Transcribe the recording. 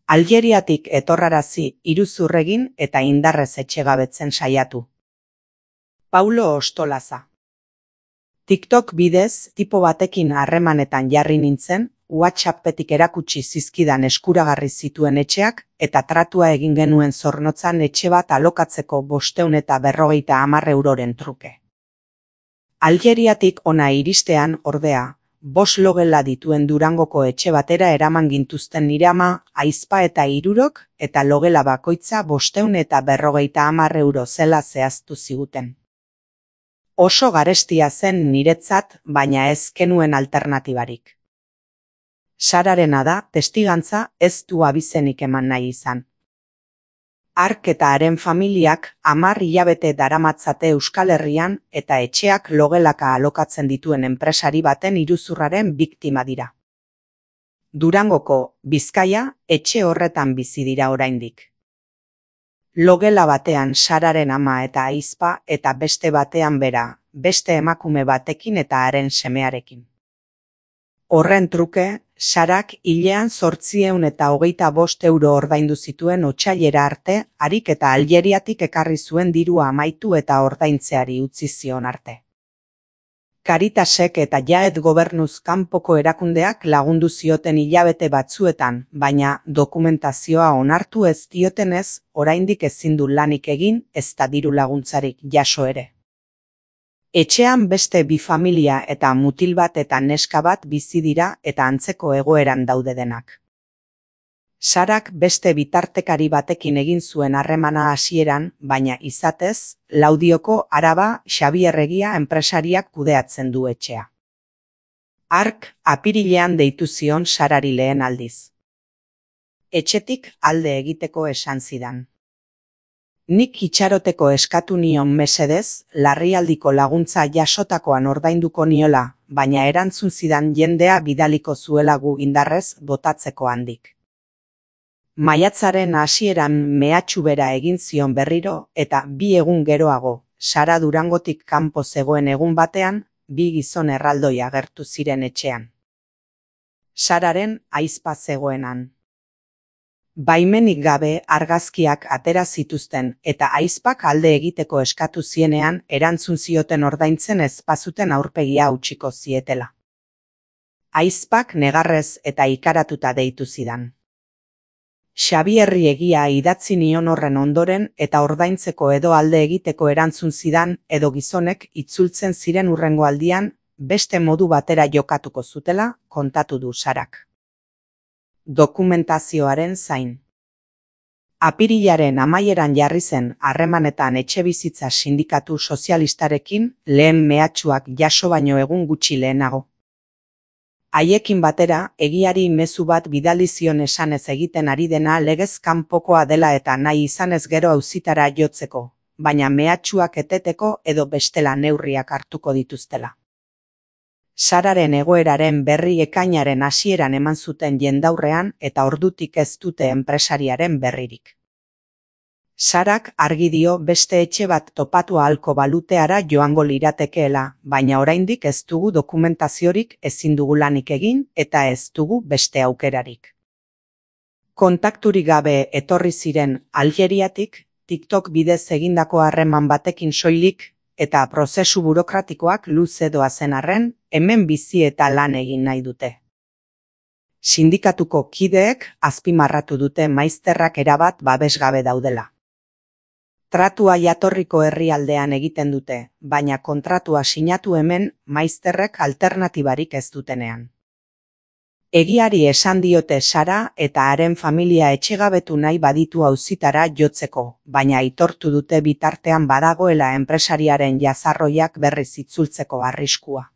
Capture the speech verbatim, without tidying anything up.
Aljeriatik etorrarazi iruzur egin eta indarrez etxegabetzen saiatu. Paulo Ostolaza. TikTok bidez tipo batekin harremanetan jarri nintzen, WhatsAppetik erakutsi zizkidan eskuragarri zituen etxeak eta tratua egin genuen zornotzan etxe bat alokatzeko bostehun eta berrogeita hamar euroren truke. Aljeriatik ona iristean, ordea, bost logela dituen Durangoko etxe batera eraman gintuzten nire ama, ahizpa eta hirurok, eta logela bakoitza bostehun eta berrogeita hamar euro zela zehaztu ziguten. Oso garestia zen niretzat, baina ez genuen alternatibarik. Sararena da, testigantza, ez du abizenik eman nahi izan. Hark eta haren familiak hamar hilabete daramatzate Euskal Herrian eta etxeak logelaka alokatzen dituen enpresari baten iruzurraren biktima dira. Durangoko, Bizkaia, etxe horretan bizi dira oraindik. Logela batean Sararen ama eta ahizpa eta beste batean bera, beste emakume batekin eta haren semearekin. Horren truke, Sarak hilean zortziehun eta hogeita bost euro ordaindu zituen otsailera arte, harik eta Aljeriatik ekarri zuen dirua amaitu eta ordaintzeari utzi zion arte. Caritasek eta Jaed gobernuz kanpoko erakundeak lagundu zioten hilabete batzuetan, baina dokumentazioa onartu ez diotenez, oraindik ezin du lanik egin, ezta diru laguntzarik jaso ere. Etxean beste bi familia eta mutil bat eta neska bat bizi dira eta antzeko egoeran daude denak. Sarak beste bitartekari batekin egin zuen harremana hasieran, baina izatez, Laudioko Araba Xabier Egia enpresariak kudeatzen du etxea. Hark apirilean deitu zion Sarari lehen aldiz. Etxetik alde egiteko esan zidan. Nik itxaroteko eskatu nion mesedez, larrialdiko laguntza jasotakoan ordainduko niola, baina erantzun zidan jendea bidaliko zuela gu indarrez botatzeko handik. Maiatzaren hasieran mehatxu bera egin zion berriro eta bi egun geroago, Sara Durangotik kanpo zegoen egun batean, bi gizon erraldoi agertu ziren etxean. Sararen ahizpa zegoenan. Baimenik gabe argazkiak atera zituzten eta ahizpak alde egiteko eskatu zienean erantzun zioten ordaintzen ez bazuten aurpegia utziko zietela. Ahizpak negarrez eta ikaratuta deitu zidan. Xabierri Egia idatzi nion horren ondoren eta ordaintzeko edo alde egiteko erantzun zidan edo gizonek itzultzen ziren hurrengo aldian beste modu batera jokatuko zutela kontatu du Sarak. Dokumentazioaren zain. Apirilaren amaieran jarri zen harremanetan etxebizitza sindikatu sozialistarekin lehen mehatxuak jaso baino egun gutxi lehenago. Haiekin batera, egiari mezu bat bidali zion esanez egiten ari dena legez kanpokoa dela eta nahi izanez gero auzitara jotzeko, baina mehatxuak eteteko edo bestela neurriak hartuko dituztela. Sararen egoeraren berri ekainaren hasieran eman zuten jendaurrean eta ordutik ez dute enpresariaren berririk. Sarak argi dio beste etxe bat topatu ahalko baluteara joango liratekeela, baina oraindik ez dugu dokumentaziorik, ezin dugu lanik egin eta ez dugu beste aukerarik. Kontakturik gabe etorri ziren Aljeriatik, TikTok bidez egindako harreman batekin soilik, eta prozesu burokratikoak luze doazen arren, hemen bizi eta lan egin nahi dute. Sindikatuko kideek azpimarratu dute maizterrak erabat babesgabe daudela. Tratua jatorriko herrialdean egiten dute, baina kontratua sinatu hemen maizterrek alternatibarik ez dutenean. Egiari esan diote Sara eta haren familia etxegabetu nahi baditu auzitara jotzeko, baina aitortu dute bitartean badagoela enpresariaren jazarroiak berriz itzultzeko arriskua.